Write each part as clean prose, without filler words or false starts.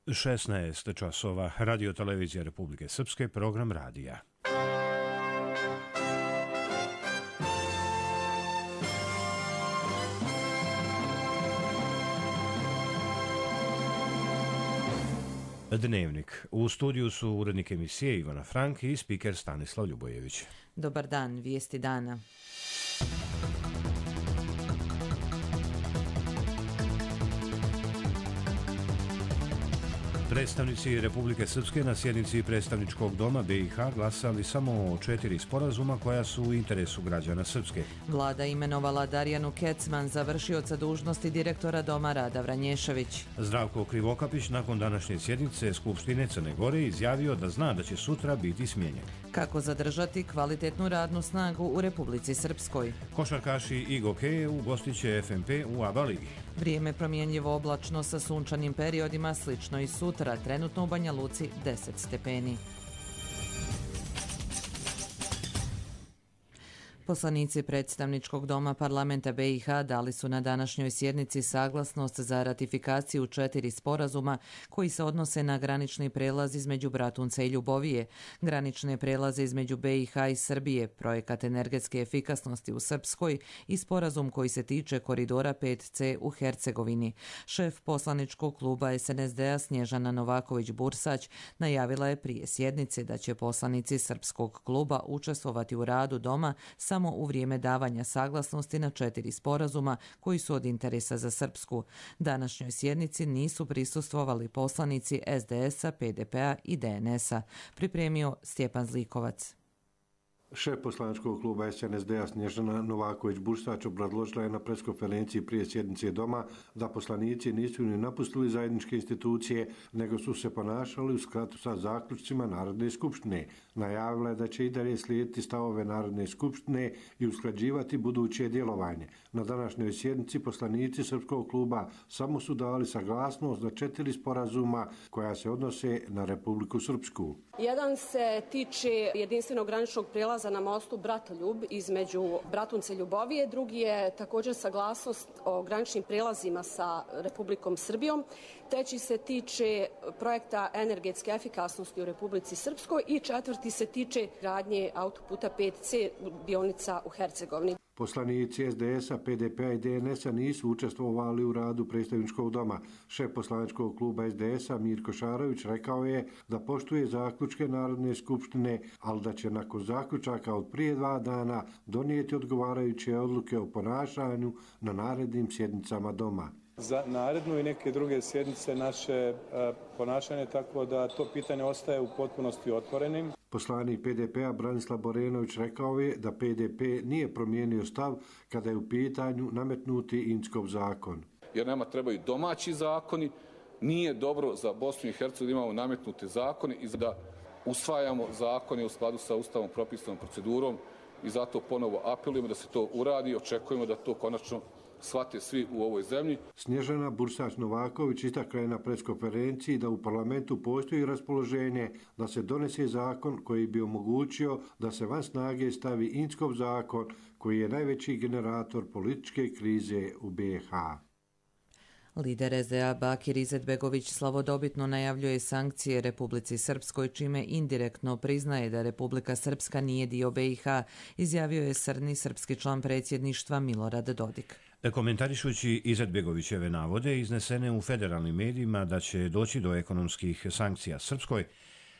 16 časova, Radio Televizija Republike Srpske, program radija. Dnevnik. U studiju su urednik emisije Ivana Frank i spiker Stanislav Ljubojević. Dobar dan, vijesti dana. Predstavnici Republike Srpske na sjednici predstavničkog doma BiH glasali samo o 4 sporazuma koja su u interesu građana Srpske. Vlada imenovala Darjanu Kecman za vršioca dužnosti direktora Doma Rada Vranješević. Zdravko Krivokapić nakon današnje sjednice Skupštine Crne Gore izjavio da zna da će sutra biti smijenjen. Kako zadržati kvalitetnu radnu snagu u Republici Srpskoj? Košarkaši i gokeje ugostit će FNP u ABA ligi. Vrijeme promjenjivo oblačno sa sunčanim periodima, slično i sutra, trenutno u Banja Luci 10 stepeni. Poslanici predstavničkog doma parlamenta BiH dali su na današnjoj sjednici saglasnost za ratifikaciju 4 sporazuma koji se odnose na granični prelaz između Bratunca i Ljubovije, granične prelaze između BiH i Srbije, projekat energetske efikasnosti u Srpskoj i sporazum koji se tiče koridora 5C u Hercegovini. Šef poslaničkog kluba SNSD-a Snježana Novaković-Bursać najavila je prije sjednice da će poslanici srpskog kluba učestvovati u radu doma samo u vrijeme davanja saglasnosti na 4 sporazuma koji su od interesa za Srpsku. Današnjoj sjednici nisu prisustvovali poslanici SDS-a, PDP-a i DNS-a. Pripremio Stjepan Zlikovac. Šef poslaničkog kluba SNSD-a Snježana Novaković-Bursać obrazložila je na preskonferenciji prije sjednice doma da poslanici nisu ni napustili zajedničke institucije, nego su se ponašali u skladu sa zaključcima Narodne skupštine. Najavila je da će i dalje slijediti stavove Narodne skupštine i usklađivati buduće djelovanje. Na današnjoj sjednici poslanici srpskog kluba samo su dali saglasnost za 4 sporazuma koja se odnose na Republiku Srpsku. Jedan se tiče jedinstvenog graničnog prijelaza na mostu Bratoljub između Bratunca i Ljubovije, drugi je također saglasnost o graničnim prijelazima sa Republikom Srbijom, treći se tiče projekta energetske efikasnosti u Republici Srpskoj i četvrti se tiče gradnje autoputa 5C dionica u Hercegovini. Poslanici SDS-a, PDP-a i DNS-a nisu učestvovali u radu predstavničkog doma. Šef poslaničkog kluba SDS-a Mirko Šarović rekao je da poštuje zaključke Narodne skupštine, ali da će nakon zaključaka od prije 2 dana donijeti odgovarajuće odluke o ponašanju na narednim sjednicama doma. Za narednu i neke druge sjednice naše ponašanje, tako da to pitanje ostaje u potpunosti otvorenim. Poslanik PDP-a Branislav Borenović rekao je da PDP nije promijenio stav kada je u pitanju nametnuti Inckov zakon. Jer nama trebaju domaći zakoni, nije dobro za Bosnu i Hercegovinu imamo nametnuti zakoni i da usvajamo zakone u skladu sa ustavom propisanom procedurom i zato ponovo apelujemo da se to uradi i očekujemo da to konačno shvate svi u ovoj zemlji. Snježana Bursać-Novaković istakla je na preskonferenciji da u parlamentu postoji raspoloženje da se donese zakon koji bi omogućio da se van snage stavi Inckov zakon koji je najveći generator političke krize u BiH. Lider SDA Bakir Izetbegović slavodobitno najavljuje sankcije Republici Srpskoj, čime indirektno priznaje da Republika Srpska nije dio BiH, izjavio je srni srpski član predsjedništva Milorad Dodik. Komentarišući Izetbegovićeve navode iznesene u federalnim medijima da će doći do ekonomskih sankcija Srpskoj,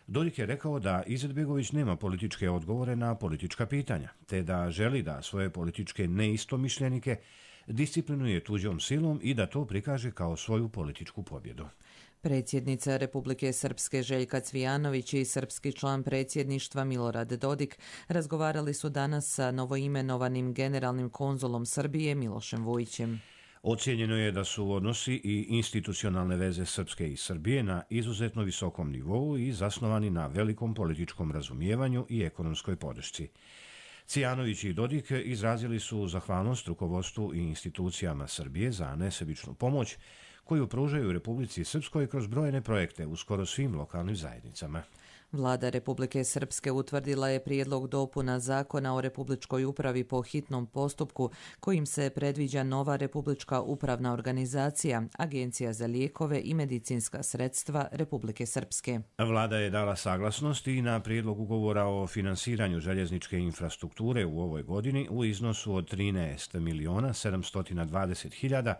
Dodik je rekao da Izetbegović nema političke odgovore na politička pitanja, te da želi da svoje političke neistomišljenike disciplinuje tuđom silom i da to prikaže kao svoju političku pobjedu. Predsjednica Republike Srpske Željka Cvijanović i srpski član predsjedništva Milorad Dodik razgovarali su danas sa novoimenovanim generalnim konzulom Srbije Milošem Vujićem. Ocijenjeno je da su odnosi i institucionalne veze Srpske i Srbije na izuzetno visokom nivou i zasnovani na velikom političkom razumijevanju i ekonomskoj podršci. Cvijanović i Dodik izrazili su zahvalnost rukovodstvu i institucijama Srbije za nesebičnu pomoć koju pružaju Republici Srpskoj kroz brojne projekte u skoro svim lokalnim zajednicama. Vlada Republike Srpske utvrdila je prijedlog dopuna Zakona o republičkoj upravi po hitnom postupku kojim se predviđa nova republička upravna organizacija, Agencija za lijekove i medicinska sredstva Republike Srpske. Vlada je dala saglasnost i na prijedlog ugovora o finansiranju željezničke infrastrukture u ovoj godini u iznosu od 13.720.000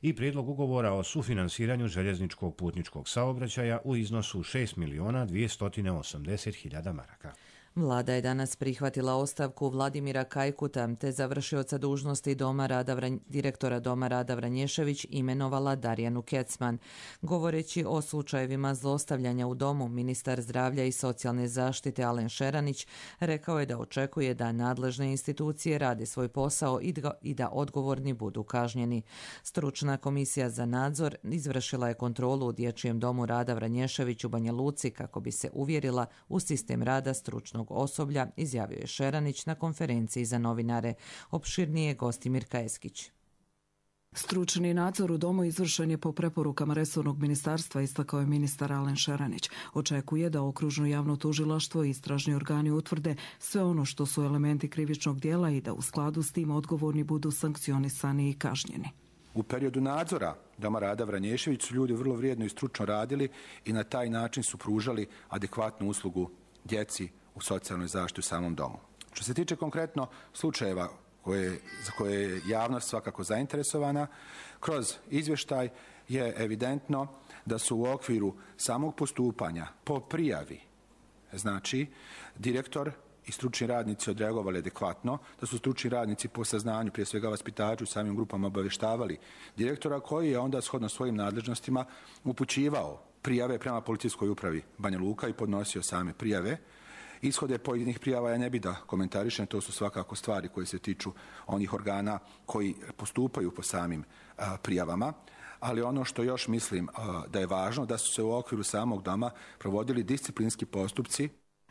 i prijedlog ugovora o sufinansiranju željezničkog putničkog saobraćaja u iznosu 6.280.000 maraka. Vlada je danas prihvatila ostavku Vladimira Kajkuta te za vršioca dužnosti direktora Doma Rada Vranješević imenovala Darjanu Kecman. Govoreći o slučajevima zlostavljanja u domu, ministar zdravlja i socijalne zaštite Alen Šeranić rekao je da očekuje da nadležne institucije rade svoj posao i da odgovorni budu kažnjeni. Stručna komisija za nadzor izvršila je kontrolu u Dječjem domu Rada Vranješević u Banja Luci kako bi se uvjerila u sistem rada stručnog osoblja, izjavio je Šeranić na konferenciji za novinare. Opširnije Gostimir Kajeskić. Stručni nadzor u domu izvršen je po preporukama resornog ministarstva, istakao je ministar Alen Šeranić. Očekuje da okružno javno tužilaštvo i istražni organi utvrde sve ono što su elementi krivičnog djela i da u skladu s tim odgovorni budu sankcionisani i kažnjeni. U periodu nadzora Doma Rada Vranješević su ljudi vrlo vrijedno i stručno radili i na taj način su pružali adekvatnu uslugu djeci u socijalnoj zaštiti u samom domu. Što se tiče konkretno slučajeva za koje je javnost svakako zainteresovana, kroz izvještaj je evidentno da su u okviru samog postupanja po prijavi, znači direktor i stručni radnici odreagovali adekvatno, da su stručni radnici po saznanju, prije svega vaspitaču, samim grupama obavještavali direktora koji je onda shodno svojim nadležnostima upućivao prijave prema policijskoj upravi Banja Luka i podnosio same prijave. Ishode pojedinih prijava ja ne bi da komentarišem, to su svakako stvari koje se tiču onih organa koji postupaju po samim prijavama, ali ono što još mislim da je važno, da su se u okviru samog doma provodili disciplinski postupci.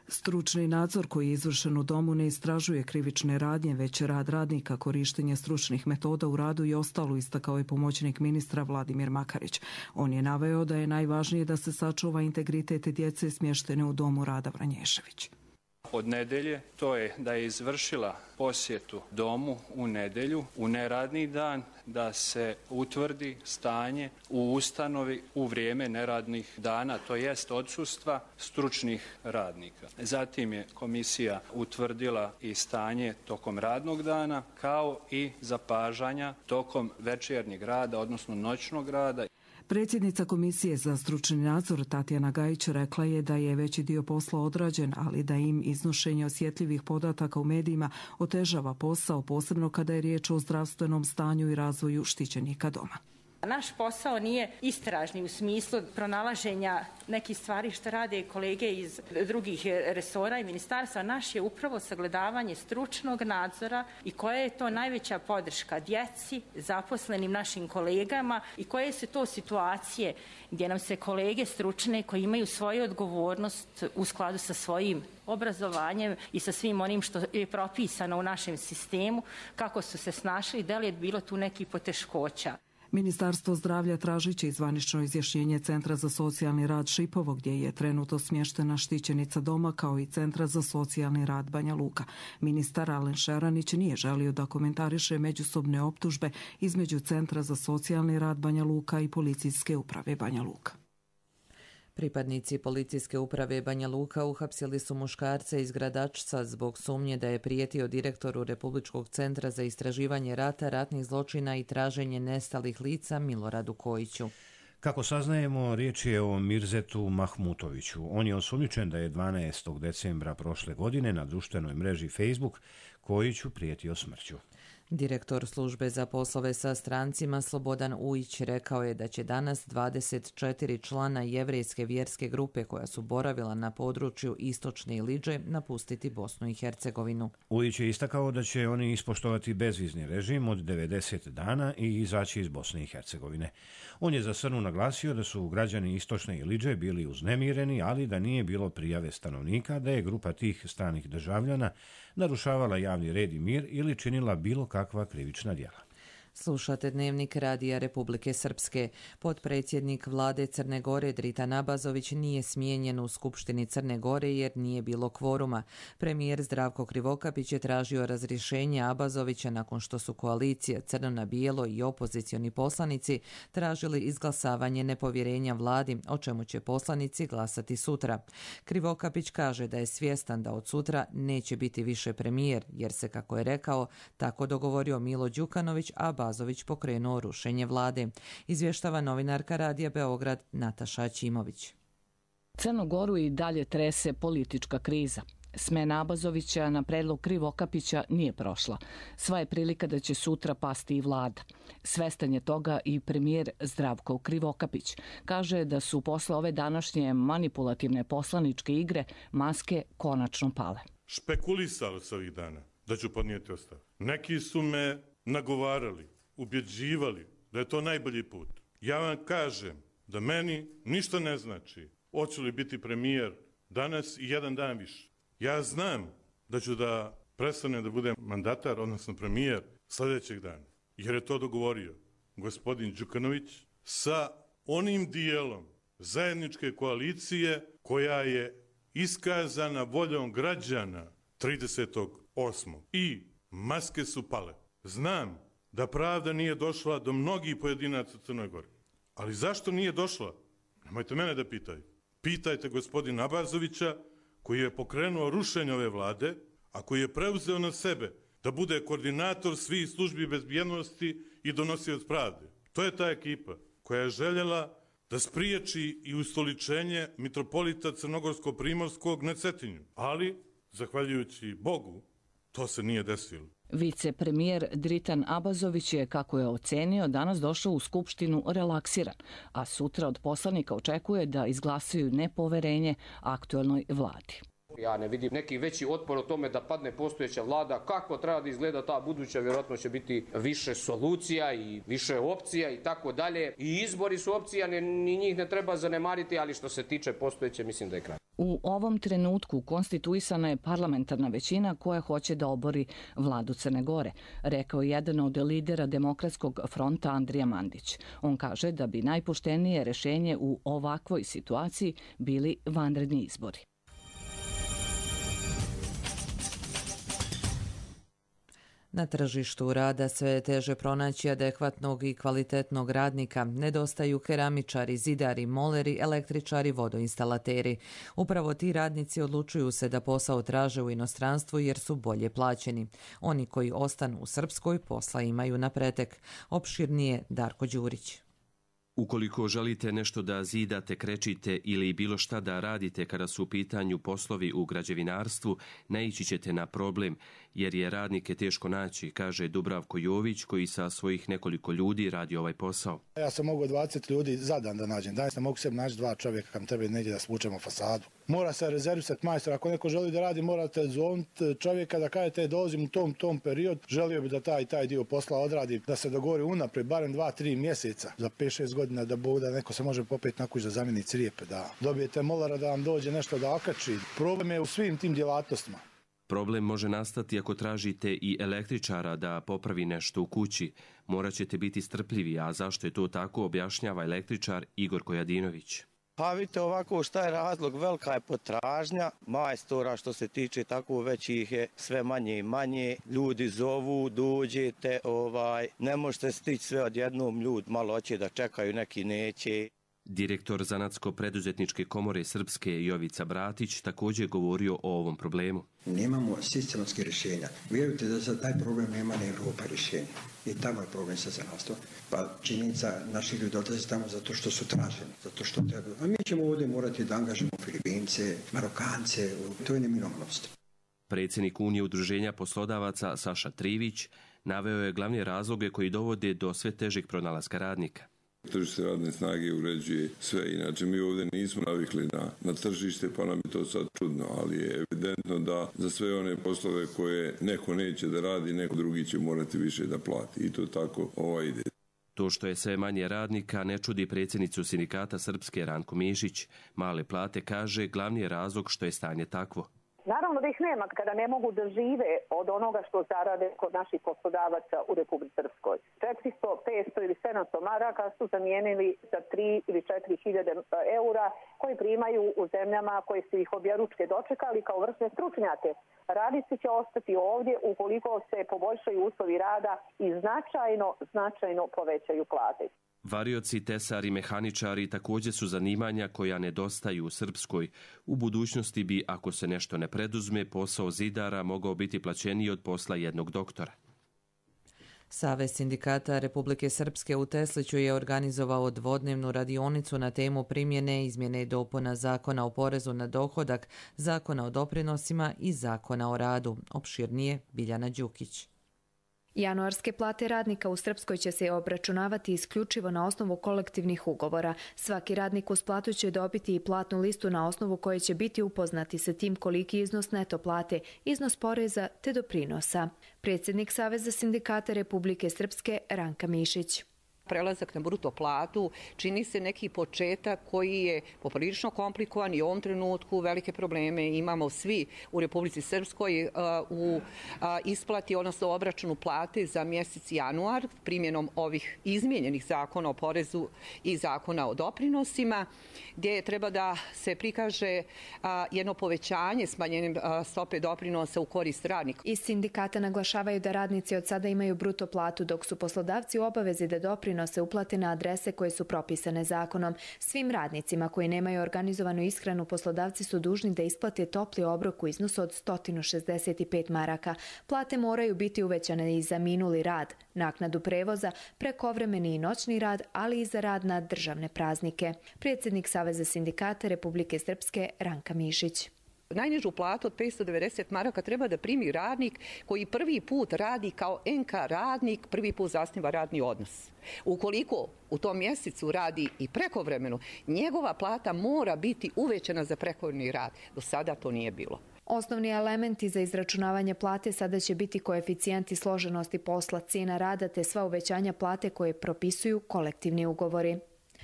Stručni nadzor koji je izvršen u domu ne istražuje krivične radnje, već rad radnika, korištenje stručnih metoda u radu i ostalo, istakao je pomoćnik ministra Vladimir Makarić. On je naveo da je najvažnije da se sačuva integritet djece smještene u Domu Rada Vranješević. Od nedjelje, to je da je izvršila posjetu domu u nedjelju, u neradni dan, da se utvrdi stanje u ustanovi u vrijeme neradnih dana, to jest odsustva stručnih radnika. Zatim je komisija utvrdila i stanje tokom radnog dana, kao i zapažanja tokom večernjeg rada, odnosno noćnog rada. Predsjednica Komisije za stručni nadzor Tatjana Gajić rekla je da je veći dio posla odrađen, ali da im iznošenje osjetljivih podataka u medijima otežava posao, posebno kada je riječ o zdravstvenom stanju i razvoju štićenika doma. Naš posao nije istražni u smislu pronalaženja nekih stvari što rade kolege iz drugih resora i ministarstva. Naš je upravo sagledavanje stručnog nadzora i koja je to najveća podrška djeci, zaposlenim našim kolegama i koje su to situacije gdje nam se kolege stručne koji imaju svoju odgovornost u skladu sa svojim obrazovanjem i sa svim onim što je propisano u našem sistemu, kako su se snašli, da li je bilo tu nekih poteškoća. Ministarstvo zdravlja tražit će zvanično izjašnjenje Centra za socijalni rad Šipovo, gdje je trenutno smještena štićenica doma, kao i Centra za socijalni rad Banja Luka. Ministar Alen Šeranić nije želio da komentariše međusobne optužbe između Centra za socijalni rad Banja Luka i Policijske uprave Banja Luka. Pripadnici Policijske uprave Banja Luka uhapsili su muškarca iz Gradačca zbog sumnje da je prijetio direktoru Republičkog centra za istraživanje rata, ratnih zločina i traženje nestalih lica Miloradu Kojiću. Kako saznajemo, riječ je o Mirzetu Mahmutoviću. On je osumnjičen da je 12. decembra prošle godine na društvenoj mreži Facebook Kojiću prijetio smrću. Direktor službe za poslove sa strancima Slobodan Ujić rekao je da će danas 24 člana jevrejske vjerske grupe koja su boravila na području Istočne Iliđe napustiti Bosnu i Hercegovinu. Ujić je istakao da će oni ispoštovati bezvizni režim od 90 dana i izaći iz Bosne i Hercegovine. On je za Srnu naglasio da su građani Istočne Iliđe bili uznemireni, ali da nije bilo prijave stanovnika da je grupa tih stranih državljana narušavala javni red i mir ili činila bilo kakva krivična djela. Slušate Dnevnik Radija Republike Srpske. Potpredsjednik vlade Crne Gore Dritan Abazović nije smijenjen u Skupštini Crne Gore jer nije bilo kvoruma. Premijer Zdravko Krivokapić je tražio razrješenje Abazovića nakon što su koalicija Crno na bijelo i opozicioni poslanici tražili izglasavanje nepovjerenja vladi, o čemu će poslanici glasati sutra. Krivokapić kaže da je svjestan da od sutra neće biti više premijer, jer se, kako je rekao, tako dogovorio Milo Đukanović, a Abazović pokrenuo rušenje vlade. Izvještava novinarka Radija Beograd Nataša Ćimović. Crnu Goru i dalje trese politička kriza. Smena Abazovića na predlog Krivokapića nije prošla. Sva je prilika da će sutra pasti i vlada. Svestan je toga i premijer Zdravko Krivokapić. Kaže da su posle ove današnje manipulativne poslaničke igre maske konačno pale. Špekulisalo se ovih dana da ću podnijeti ostavku. Neki su me nagovarali, ubjeđivali da je to najbolji put. Ja vam kažem da meni ništa ne znači hoću li biti premijer danas i jedan dan više. Ja znam da ću da prestanem da budem mandatar, odnosno premijer, sljedećeg dana. Jer je to dogovorio gospodin Đukanović sa onim dijelom zajedničke koalicije koja je iskazana voljom građana 30.8. I maske su pale. Znam da pravda nije došla do mnogih pojedinaca u Crnoj Gori. Ali zašto nije došla? Nemojte mene da pitaju. Pitajte gospodina Abazovića, koji je pokrenuo rušenje ove vlade, a koji je preuzeo na sebe da bude koordinator svih službi bezbjednosti i donosioc pravde. To je ta ekipa koja je željela da spriječi i ustoličenje mitropolita Crnogorsko-Primorskog na Cetinju. Ali, zahvaljujući Bogu, to se nije desilo. Vicepremijer Dritan Abazović je, kako je ocenio, danas došao u Skupštinu relaksiran, a sutra od poslanika očekuje da izglasaju nepoverenje aktuelnoj vladi. Ja ne vidim neki veći otpor o tome da padne postojeća vlada. Kako treba da izgleda ta buduća, vjerojatno će biti više solucija i više opcija i tako dalje. I izbori su opcija, ni njih ne treba zanemariti, ali što se tiče postojeće, mislim da je kraj. U ovom trenutku konstituisana je parlamentarna većina koja hoće da obori vladu Crne Gore, rekao je jedan od lidera Demokratskog fronta Andrija Mandić. On kaže da bi najpoštenije rješenje u ovakvoj situaciji bili vanredni izbori. Na tržištu rada sve je teže pronaći adekvatnog i kvalitetnog radnika. Nedostaju keramičari, zidari, moleri, električari, vodoinstalateri. Upravo ti radnici odlučuju se da posao traže u inostranstvu jer su bolje plaćeni. Oni koji ostanu u Srpskoj posla imaju na pretek. Opširnije Darko Đurić. Ukoliko želite nešto da zidate, krečite ili bilo šta da radite kada su u pitanju poslovi u građevinarstvu, naići ćete na problem, jer je radnike teško naći, kaže Dubravko Jović, koji sa svojih nekoliko ljudi radi ovaj posao. Ja sam mogu 20 ljudi za dan da nađem. Danas ne mogu sebi naći 2 čovjeka kam treba negdje da svučemo fasadu. Mora se rezervisati majstor. Ako neko želi da radi, morate zovniti čovjeka da kažete dolazim u tom period. Želio bi da taj dio posla odradi, da se dogovori unaprijed, barem 2-3 mjeseca, za 5-6 godina da neko se može popeti na kuć da zamijeni crijepe, da dobijete molara da vam dođe nešto da okači. Problem je u svim tim djelatnostima. Problem može nastati ako tražite i električara da popravi nešto u kući. Morat ćete biti strpljivi, a zašto je to tako, objašnjava električar Igor Kojadinović. Pa vidite ovako šta je razlog, velika je potražnja majstora što se tiče tako već ih je sve manje i manje. Ljudi zovu, dođete, ne možete stići sve odjednom, ljudi malo hoće da čekaju, neki neće. Direktor Zanatsko-preduzetničke komore Srpske Jovica Bratić također govorio o ovom problemu. Nemamo sistematske rješenja. Vjerujte da za taj problem nema ni Evropa rješenja. I tamo je problem sa zanatstvom. Pa činjenica naših ljudi odlaze tamo zato što su traženi, zato što trebaju. A mi ćemo ovdje morati da angažamo Filipince, Marokance, to je neminovnost. Predsjednik Unije udruženja poslodavaca Saša Trivić naveo je glavne razloge koji dovode do sve težeg pronalaska radnika. Tržište radne snage uređuje sve, inače mi ovdje nismo navikli na tržište, pa nam je to sad čudno, ali je evidentno da za sve one poslove koje neko neće da radi, neko drugi će morati više da plati i to tako ide. To što je sve manje radnika ne čudi predsjednicu sindikata Srpske Ranku Mišić. Male plate, kaže, glavni je razlog što je stanje takvo. Naravno da ih nema kada ne mogu da žive od onoga što zarade kod naših poslodavaca u Republici Srpskoj. 400, 500 ili 700 maraka su zamijenili za 3 ili 4 hiljade eura koji primaju u zemljama koje su ih objeručke dočekali kao vrsne stručnjake. Radnici će ostati ovdje ukoliko se poboljšaju uslovi rada i značajno povećaju plate. Varioci, tesari, mehaničari također su zanimanja koja nedostaju u Srpskoj. U budućnosti bi, ako se nešto ne preduzme, posao zidara mogao biti plaćeniji od posla jednog doktora. Savez sindikata Republike Srpske u Tesliću je organizovao dvodnevnu radionicu na temu primjene izmjene i dopuna Zakona o porezu na dohodak, Zakona o doprinosima i Zakona o radu. Opširnije Biljana Đukić. Januarske plate radnika u Srpskoj će se obračunavati isključivo na osnovu kolektivnih ugovora. Svaki radnik uz platu će dobiti i platnu listu na osnovu koje će biti upoznati sa tim koliki iznos neto plate, iznos poreza te doprinosa. Predsjednik Saveza sindikata Republike Srpske Ranka Mišić. Prelazak na bruto platu čini se neki početak koji je poprilično komplikovan i u ovom trenutku velike probleme imamo svi u Republici Srpskoj u isplati, odnosno obračunu plate za mjesec januar primjenom ovih izmijenjenih zakona o porezu i zakona o doprinosima, gdje treba da se prikaže jedno povećanje smanjenjem stope doprinosa u korist radnika. Iz sindikata naglašavaju da radnici od sada imaju bruto platu, dok su poslodavci u obavezi da doprinose uplate na adrese koje su propisane zakonom. Svim radnicima koji nemaju organizovanu ishranu poslodavci su dužni da isplate topli obrok u iznosu od 165 maraka. Plate moraju biti uvećane i za minuli rad, naknadu prevoza, prekovremeni i noćni rad, ali i za rad na državne praznike. Predsjednik Saveza sindikata Republike Srpske Ranka Mišić. Najnižu platu od 590 maraka treba da primi radnik koji prvi put radi kao NK radnik, prvi put zasniva radni odnos. Ukoliko u tom mjesecu radi i prekovremeno, njegova plata mora biti uvećana za prekovremeni rad. Do sada to nije bilo. Osnovni elementi za izračunavanje plate sada će biti koeficijenti složenosti posla, cijena rada te sva uvećanja plate koje propisuju kolektivni ugovori.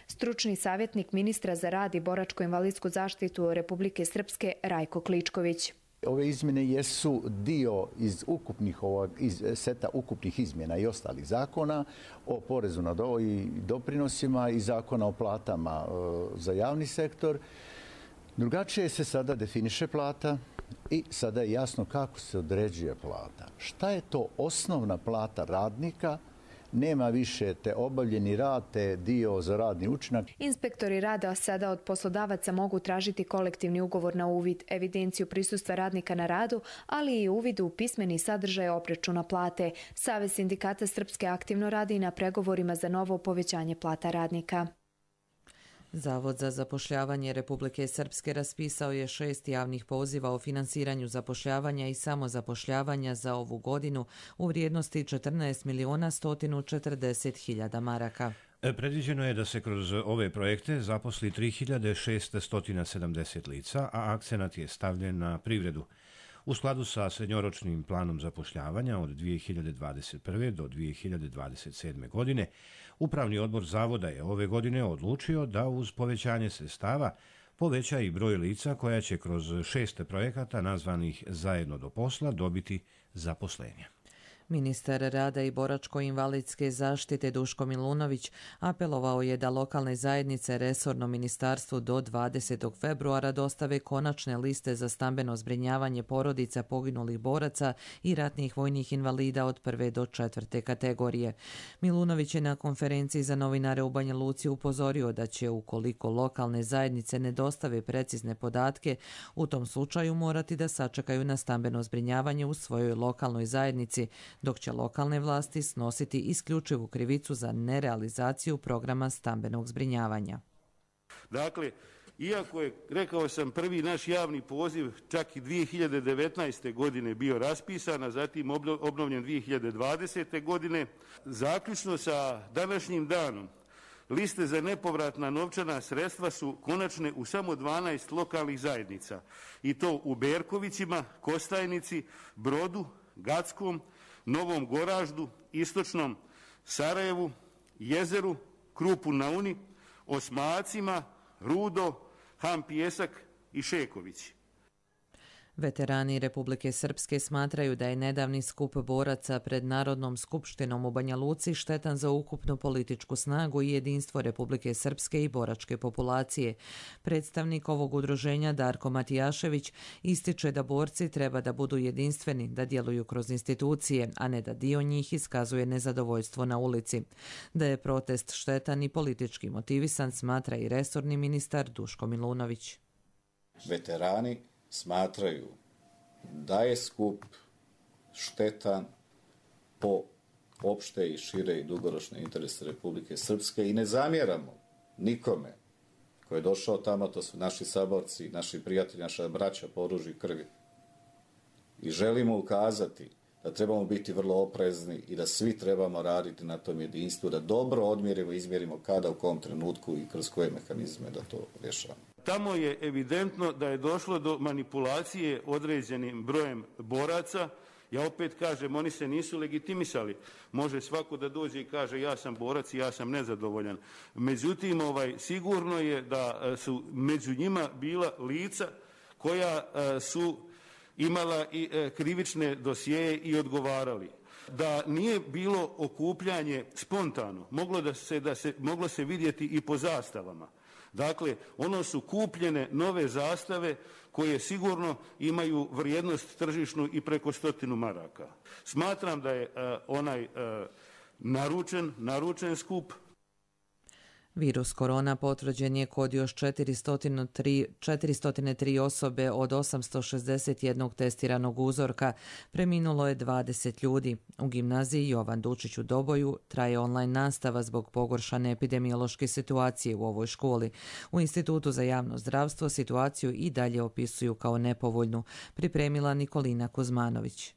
Stručni savjetnik ministra za rad i boračko-invalidsku zaštitu Republike Srpske Rajko Kličković. Ove izmjene jesu dio iz seta ukupnih izmjena i ostalih zakona o porezu na i doprinosima i zakona o platama za javni sektor. Drugačije se sada definiše plata i sada je jasno kako se određuje plata. Šta je to osnovna plata radnika? Nema više te obavljeni rad, te dio za radni učinak. Inspektori rada sada od poslodavaca mogu tražiti kolektivni ugovor na uvid, evidenciju prisustva radnika na radu, ali i uvid u pismeni sadržaj obračuna plate. Savez sindikata Srpske aktivno radi na pregovorima za novo povećanje plata radnika. Zavod za zapošljavanje Republike Srpske raspisao je 6 javnih poziva o finansiranju zapošljavanja i samozapošljavanja za ovu godinu u vrijednosti 14.140.000 maraka. Predviđeno je da se kroz ove projekte zaposli 3.670 lica, a akcenat je stavljen na privredu. U skladu sa srednjoročnim planom zapošljavanja od 2021. do 2027. godine, Upravni odbor Zavoda je ove godine odlučio da uz povećanje sredstava poveća i broj lica koja će kroz 6 projekata nazvanih Zajedno do posla dobiti zaposlenje. Ministar rada i boračko-invalidske zaštite Duško Milunović apelovao je da lokalne zajednice resorno ministarstvu do 20. februara dostave konačne liste za stambeno zbrinjavanje porodica poginulih boraca i ratnih vojnih invalida od 1. do 4. kategorije. Milunović je na konferenciji za novinare u Banja Luci upozorio da će, ukoliko lokalne zajednice ne dostave precizne podatke, u tom slučaju morati da sačekaju na stambeno zbrinjavanje u svojoj lokalnoj zajednici, dok će lokalne vlasti snositi isključivu krivicu za nerealizaciju programa stambenog zbrinjavanja. Dakle, iako je, rekao sam, prvi naš javni poziv čak i 2019. godine bio raspisan, a zatim obnovljen 2020. godine, zaključno sa današnjim danom liste za nepovratna novčana sredstva su konačne u samo 12 lokalnih zajednica, i to u Berkovićima, Kostajnici, Brodu, Gackom, Novom Goraždu, Istočnom Sarajevu, Jezeru, Krupu na Uni, Osmacima, Rudo, Han Pijesak i Šekovići. Veterani Republike Srpske smatraju da je nedavni skup boraca pred Narodnom skupštinom u Banja Luci štetan za ukupnu političku snagu i jedinstvo Republike Srpske i boračke populacije. Predstavnik ovog udruženja Darko Matijašević ističe da borci treba da budu jedinstveni, da djeluju kroz institucije, a ne da dio njih iskazuje nezadovoljstvo na ulici. Da je protest štetan i politički motivisan, smatra i resorni ministar Duško Milunović. Veterani smatraju da je skup štetan po opšte i šire i dugoročne interese Republike Srpske i ne zamjeramo nikome ko je došao tamo, to su naši saborci, naši prijatelji, naša braća po oružju i krvi. I želimo ukazati da trebamo biti vrlo oprezni i da svi trebamo raditi na tom jedinstvu, da dobro odmjerimo i izmjerimo kada, u kom trenutku i kroz koje mehanizme da to rješavamo. Tamo je evidentno da je došlo do manipulacije određenim brojem boraca. Ja opet kažem, oni se nisu legitimisali. Može svako da dođe i kaže ja sam borac i ja sam nezadovoljan. Međutim, sigurno je da su među njima bila lica koja su imala i krivične dosjeje i odgovarali. Da nije bilo okupljanje spontano, moglo se vidjeti i po zastavama. Dakle, ono su kupljene nove zastave koje sigurno imaju vrijednost tržišnu i preko 100 maraka. Smatram da je onaj naručen skup. Virus korona potvrđen je kod još 403 osobe od 861 testiranog uzorka. Preminulo je 20 ljudi. U gimnaziji Jovan Dučić u Doboju traje online nastava zbog pogoršane epidemiološke situacije u ovoj školi. U Institutu za javno zdravstvo situaciju i dalje opisuju kao nepovoljnu, pripremila Nikolina Kuzmanović.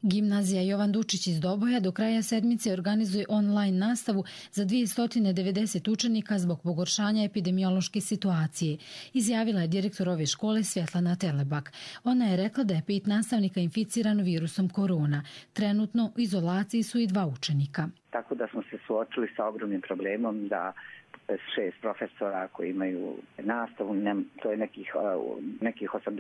Gimnazija Jovan Dučić iz Doboja do kraja sedmice organizuje online nastavu za 290 učenika zbog pogoršanja epidemiološke situacije, izjavila je direktor ove škole Svjetlana Telebak. Ona je rekla da je 5 nastavnika inficirano virusom korona. Trenutno u izolaciji su i 2 učenika. Tako da smo se suočili sa ogromnim problemom da 6 profesora koji imaju nastavu, to je nekih 86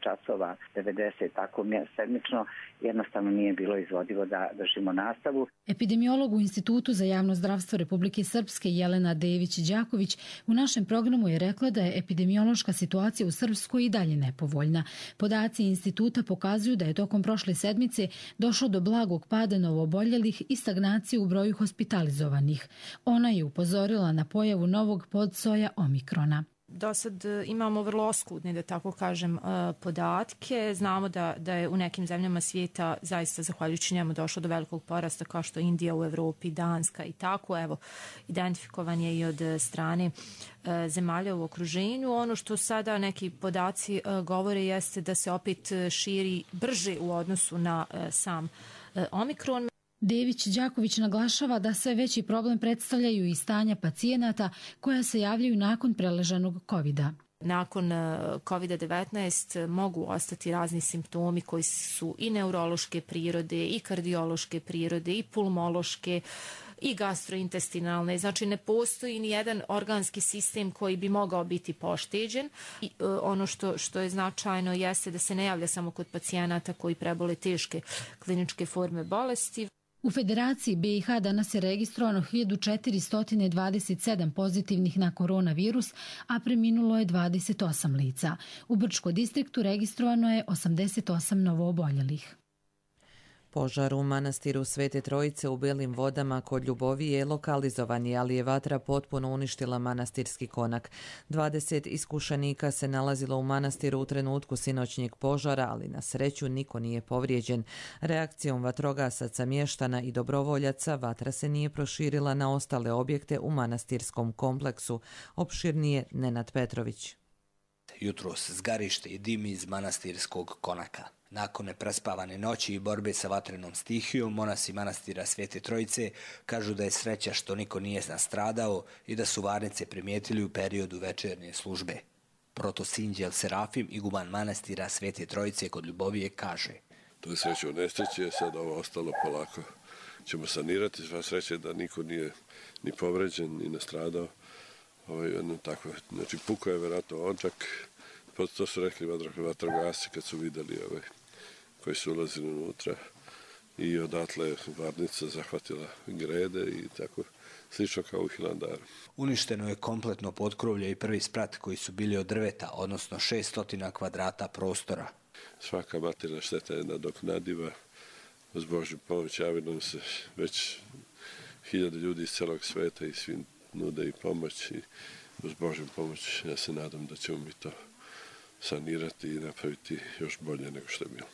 časova, 90 tako sedmično, jednostavno nije bilo izvodivo da držimo nastavu. Epidemiolog u Institutu za javno zdravstvo Republike Srpske Jelena Dević-Đaković u našem programu je rekla da je epidemiološka situacija u Srpskoj i dalje nepovoljna. Podaci instituta pokazuju da je tokom prošle sedmice došlo do blagog pada novooboljelih i stagnacije u broju hospitalizovanih. Ona je upozorila na pojavu novog podsoja Omikrona. Do sad imamo vrlo oskudne, da tako kažem, podatke. Znamo da je u nekim zemljama svijeta zaista zahvaljujući njemu došlo do velikog porasta kao što je Indija u Evropi, Danska i tako. Evo, identifikovan je i od strane zemalja u okruženju. Ono što sada neki podaci govore jeste da se opet širi brže u odnosu na sam Omikron. Dević-Đaković naglašava da sve veći problem predstavljaju i stanja pacijenata koja se javljaju nakon preležanog COVID-a. Nakon COVID-19 mogu ostati razni simptomi koji su i neurološke prirode, i kardiološke prirode, i pulmološke, i gastrointestinalne. Znači ne postoji ni jedan organski sistem koji bi mogao biti pošteđen. I ono što je značajno jeste da se ne javlja samo kod pacijenata koji prebole teške kliničke forme bolesti. U Federaciji BiH danas je registrovano 1427 pozitivnih na koronavirus, a preminulo je 28 lica. U Brčkom distriktu registrovano je 88 novooboljelih. Požar u manastiru Svete Trojice u Belim vodama kod Ljubovije je lokalizovan, ali je vatra potpuno uništila manastirski konak. 20 iskušenika se nalazilo u manastiru u trenutku sinoćnjeg požara, ali na sreću niko nije povrijeđen. Reakcijom vatrogasaca, mještana i dobrovoljaca vatra se nije proširila na ostale objekte u manastirskom kompleksu. Opširnije Nenad Petrović. Jutros zgarište i dim iz manastirskog konaka. Nakon neprespavane noći i borbe sa vatrenom stihijom, monasi manastira Svete Trojice kažu da je sreća što niko nije nastradao i da su varnice primijetili u periodu večernje službe. Protosinđel Serafim, iguman manastira Svete Trojice kod Ljubovije, kaže: To je sreća od nesreće, sad ovo ostalo polako ćemo sanirati. Sva sreća da niko nije ni povređen, ni nastradao. Znači, pukao je vjerojatno odžak, To su rekli vatrogasci kad su vidjeli koji su ulazili unutra i odatle varnica zahvatila grede i tako slično kao u Hilandaru. Uništeno je kompletno potkrovlje i prvi sprat koji su bili od drveta, odnosno 600 kvadrata prostora. Svaka materijalna šteta je nadoknadiva. Uz Božju pomoć javili nam se već 1000 ljudi iz celog sveta i svi nude i pomoć i uz Božju pomoć ja se nadam da ćemo mi to sanirati i napraviti još bolje nego što je bilo.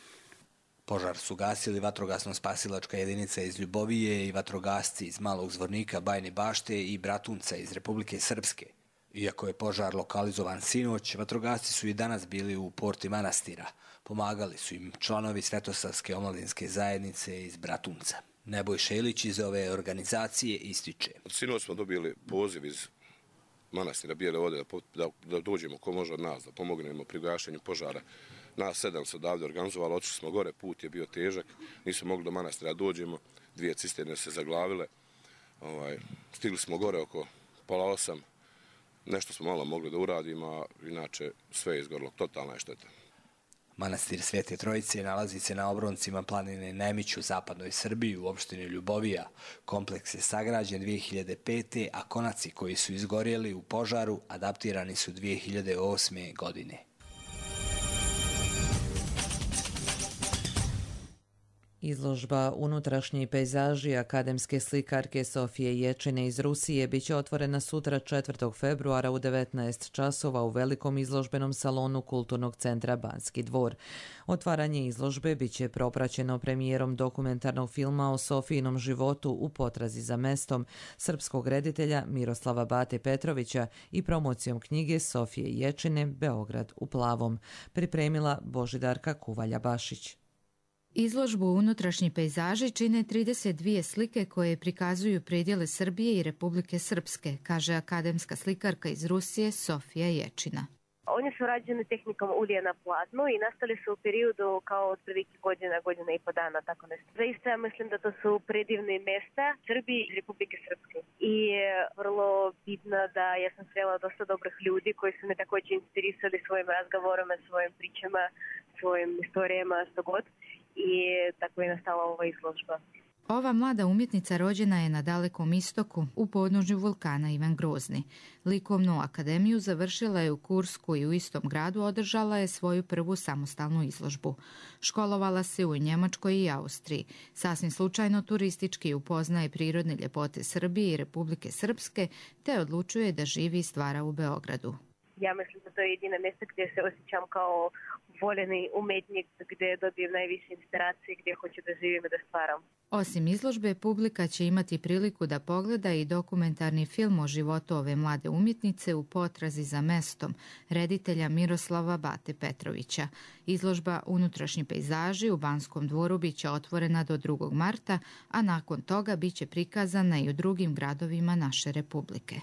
Požar su gasili vatrogasno-spasilačka jedinica iz Ljubovije i vatrogasci iz Malog Zvornika, Bajne Bašte i Bratunca iz Republike Srpske. Iako je požar lokalizovan sinoć, vatrogasci su i danas bili u porti manastira. Pomagali su im članovi Svetosavske omladinske zajednice iz Bratunca. Nebojša Ilić iz ove organizacije ističe. Sinoć smo dobili poziv iz manastira Bijele Vode da dođemo ko može od nas, da pomognemo pri gašenju požara. Nas 7 su odavde organizovali, otišli smo gore, put je bio težak, nismo mogli do manastira dođemo, 2 cisterne se zaglavile. Stigli smo gore oko 7:30, nešto smo malo mogli da uradimo, a inače sve je izgorilo, totalna je šteta. Manastir Svete Trojice nalazi se na obroncima planine Nemić u zapadnoj Srbiji u opštini Ljubovija. Kompleks je sagrađen 2005. a konaci koji su izgorjeli u požaru adaptirani su 2008. godine. Izložba Unutrašnji pejzaži akademske slikarke Sofije Ječine iz Rusije biće otvorena sutra 4. februara u 19 časova u velikom izložbenom salonu Kulturnog centra Banski dvor. Otvaranje izložbe biće propraćeno premijerom dokumentarnog filma o Sofijinom životu u potrazi za mestom srpskog reditelja Miroslava Bate Petrovića i promocijom knjige Sofije Ječine Beograd u plavom, pripremila Božidarka Kuvalja-Bašić. Izložbu Unutrašnji pejzaži čine 32 slike koje prikazuju predjele Srbije i Republike Srpske, kaže akademska slikarka iz Rusije Sofija Ječina. Oni su rađeni tehnikom ulje na platnu i nastali su u periodu kao otprilike godina i po dana, tako nešto. Zaista ja mislim da to su predivne mesta Srbije i Republike Srpske. I vrlo bitno da ja sam srela dosta dobrih ljudi koji su me također inspirisali svojim razgovorima, svojim pričama, svojim istorijama, što god. I tako je nastala ova izložba. Ova mlada umjetnica rođena je na Dalekom istoku, u podnožju vulkana Ivan Grozni. Likovnu akademiju završila je u Kursku i u istom gradu održala je svoju prvu samostalnu izložbu. Školovala se u Njemačkoj i Austriji. Sasvim slučajno turistički upoznaje prirodne ljepote Srbije i Republike Srpske, te odlučuje da živi i stvara u Beogradu. Ja mislim da to je jedina mjesta gdje se osjećam kao voljeni umetnik, gdje dobijem najviše inspiracije, gdje hoću da živim i da stvaram. Osim izložbe, publika će imati priliku da pogleda i dokumentarni film o životu ove mlade umjetnice u potrazi za mestom reditelja Miroslava Bate Petrovića. Izložba Unutrašnji pejzaži u Banskom dvoru biće otvorena do 2. marta, a nakon toga biće prikazana i u drugim gradovima naše Republike.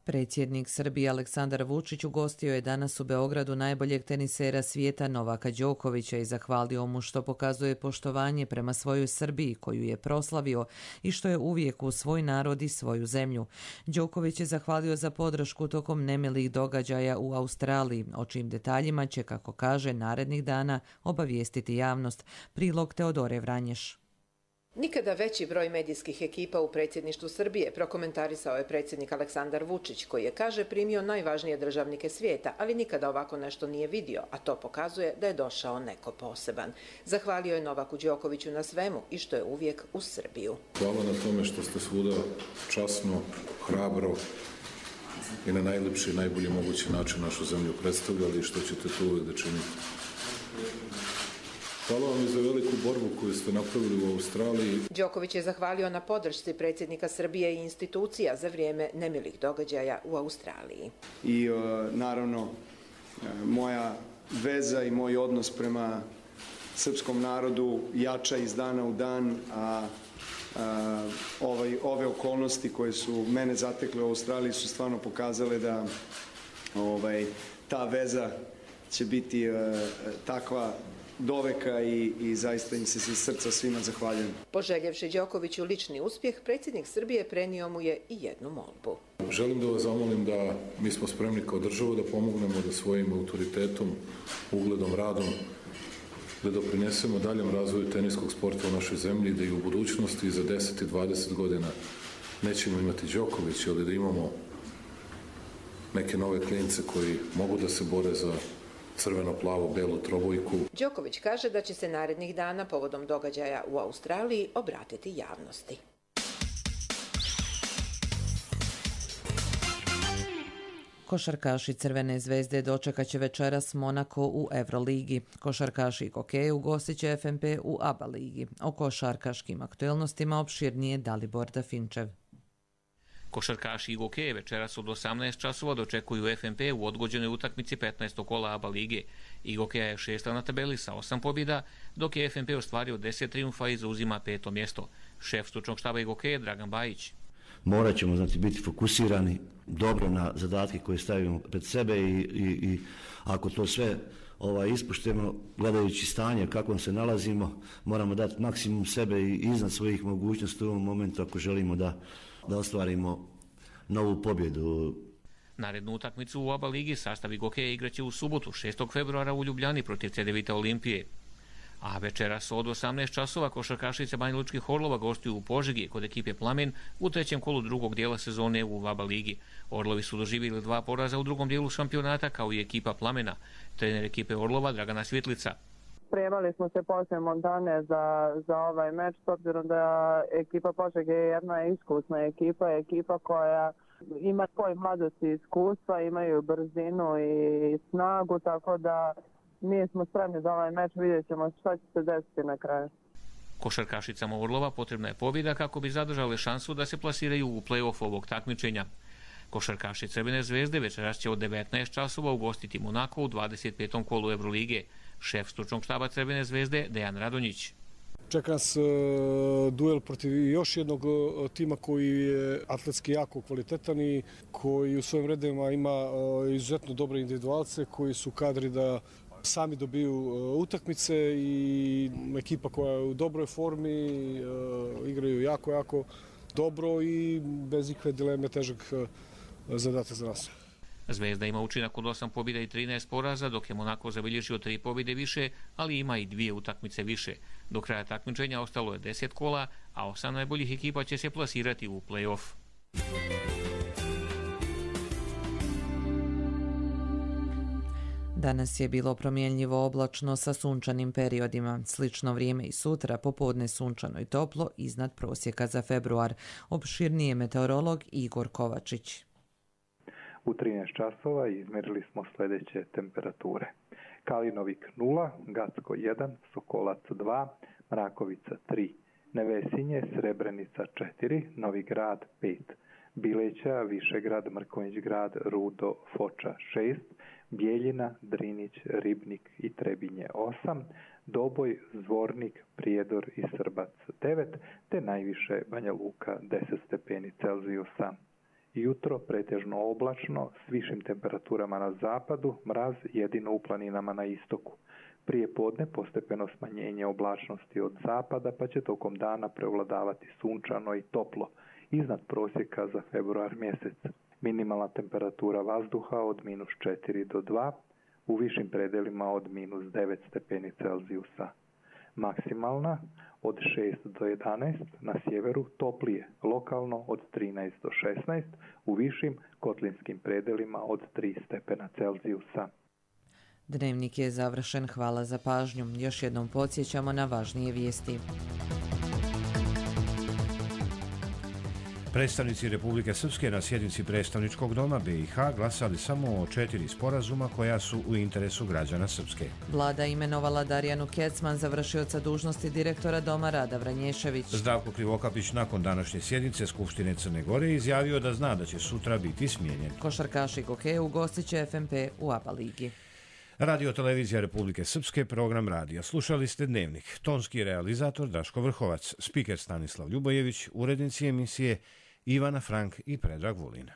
Predsjednik Srbije Aleksandar Vučić ugostio je danas u Beogradu najboljeg tenisera svijeta Novaka Đokovića i zahvalio mu što pokazuje poštovanje prema svojoj Srbiji koju je proslavio i što je uvijek uz svoj narod i svoju zemlju. Đoković je zahvalio za podršku tokom nemilih događaja u Australiji, o čijim detaljima će, kako kaže, narednih dana obavijestiti javnost. Prilog Teodore Vranješ. Nikada veći broj medijskih ekipa u predsjedništvu Srbije, prokomentarisao je predsjednik Aleksandar Vučić, koji je, kaže, primio najvažnije državnike svijeta, ali nikada ovako nešto nije vidio, a to pokazuje da je došao neko poseban. Zahvalio je Novaku Đokoviću na svemu i što je uvijek uz Srbiju. Hvala na tome što ste svuda časno, hrabro i na najlepši i najbolji mogući način našu zemlju predstavljali i što ćete to uvijek da činite. Hvala vam i za veliku borbu koju ste napravili u Australiji. Đoković je zahvalio na podršci predsjednika Srbije i institucija za vrijeme nemilih događaja u Australiji. I naravno, moja veza i moj odnos prema srpskom narodu jača iz dana u dan, a ove okolnosti koje su mene zatekle u Australiji su stvarno pokazale da ta veza će biti takva doveka i zaista im se iz srca svima zahvaljujem. Poželjevši Đokoviću lični uspjeh, predsjednik Srbije prenio mu je i jednu molbu. Želim da vas zamolim da mi smo spremni kao država da pomognemo da svojim autoritetom, ugledom, radom, da doprinesemo daljem razvoju teniskog sporta u našoj zemlji, da i u budućnosti za 10 i 20 godina nećemo imati Đokovića, ali da imamo neke nove klince koji mogu da se bore za crveno-plavo-belu trobojku. Đoković kaže da će se narednih dana povodom događaja u Australiji obratiti javnosti. Košarkaši Crvene zvezde dočekat će večeras Monako u Euroligi. Košarkaši Gokeju gostit će FNP u ABA ligi. O košarkaškim aktuelnostima opširnije Dalibor Dafinčev. Košarkaši Gokeje večeras od 18 časova dočekuju FNP u odgođenoj utakmici 15. kola ABA lige. Gokeja je 6. na tabeli sa 8 pobjeda, dok je FNP ostvario 10 trijumfa i zauzima 5. mjesto. Šef stručnog štaba Gokeje Dragan Bajić. Morat ćemo biti fokusirani dobro na zadatke koje stavimo pred sebe i ako to sve ispuštemo, gledajući stanje kakvom se nalazimo, moramo dati maksimum sebe i iznad svojih mogućnosti u ovom momentu ako želimo da ostvarimo novu pobjedu. Narednu utakmicu u ABA ligi sastav Gokeje igraće u subotu 6. februara u Ljubljani protiv CDVita Olimpije. A večeras od 18 časova košarkašice Banjalučkih Orlova gostuju u Požegi kod ekipe Plamen u trećem kolu drugog dijela sezone u ABA ligi. Orlovi su doživjeli 2 poraza u drugom dijelu šampionata kao i ekipa Plamena. Trener ekipe Orlova Dragana Svjetlica. Spremali smo se poslije Montane za ovaj meč, s obzirom da ekipa Požege je jedna iskusna ekipa koja ima svoj mladosti i iskustva, imaju brzinu i snagu, tako da mi smo spremni za ovaj meč, vidjet ćemo šta će se desiti na kraju. Košarkašicama Orlova potrebna je pobjeda kako bi zadržale šansu da se plasiraju u play-off ovog takmičenja. Košarkaši Crvene zvezde večeras će od 19 časova ugostiti Monako u 25. kolu Eurolige. Šef stručnog štaba Crvene zvezde Dejan Radonjić. Čeka nas duel protiv još jednog tima koji je atletski jako kvalitetan i koji u svojim redovima ima izuzetno dobre individualce koji su kadri da sami dobiju utakmice i ekipa koja je u dobroj formi, igraju jako dobro i bez ikakve dileme težak zadatak za nas. Zvezda ima učinak od 8 pobjeda i 13 poraza, dok je Monako zabilježio 3 pobjede više, ali ima i 2 utakmice više. Do kraja takmičenja ostalo je 10 kola, a 8 najboljih ekipa će se plasirati u play-off. Danas je bilo promjenljivo oblačno sa sunčanim periodima. Slično vrijeme i sutra, popodne sunčano i toplo, iznad prosjeka za februar. Opširnije meteorolog Igor Kovačić. U 13 časova izmjerili smo sljedeće temperature. Kalinovik 0, Gacko 1, Sokolac 2, Mrakovica 3, Nevesinje, Srebrenica 4, Novi Grad 5, Bileća, Višegrad, Mrkonjić-grad, Rudo, Foča 6, Bijeljina, Drinić, Ribnik i Trebinje 8, Doboj, Zvornik, Prijedor i Srbac 9, te najviše Banja Luka 10 stepeni Celzijusa. Jutro pretežno oblačno s višim temperaturama na zapadu, mraz jedino u planinama na istoku. Prije podne postepeno smanjenje oblačnosti od zapada, pa će tokom dana prevladavati sunčano i toplo, iznad prosjeka za februar mjesec. Minimalna temperatura vazduha od -4 do 2, u višim predelima od -9 stepeni Celzijusa. Maksimalna od 6 do 11, na sjeveru toplije, lokalno od 13 do 16, u višim kotlinskim predelima od 3 stepena Celzijusa. Dnevnik je završen, hvala za pažnju. Još jednom podsjećamo na važnije vijesti. Predstavnici Republike Srpske na sjednici predstavničkog doma BiH glasali samo o 4 sporazuma koja su u interesu građana Srpske. Vlada imenovala Darijanu Kecman za vršioca dužnosti direktora Doma Rada Vranješević. Zdravko Krivokapić nakon današnje sjednice Skupštine Crne Gore izjavio da zna da će sutra biti smijenjen. Košarkaši Gokeju ugostit će FNP u ABA ligi. Radio Televizija Republike Srpske, program radija. Slušali ste Dnevnik. Tonski realizator Daško Vrhovac, spiker Stanislav Ljubojević, urednici emisije Ivana Frank i Predrag Vulin.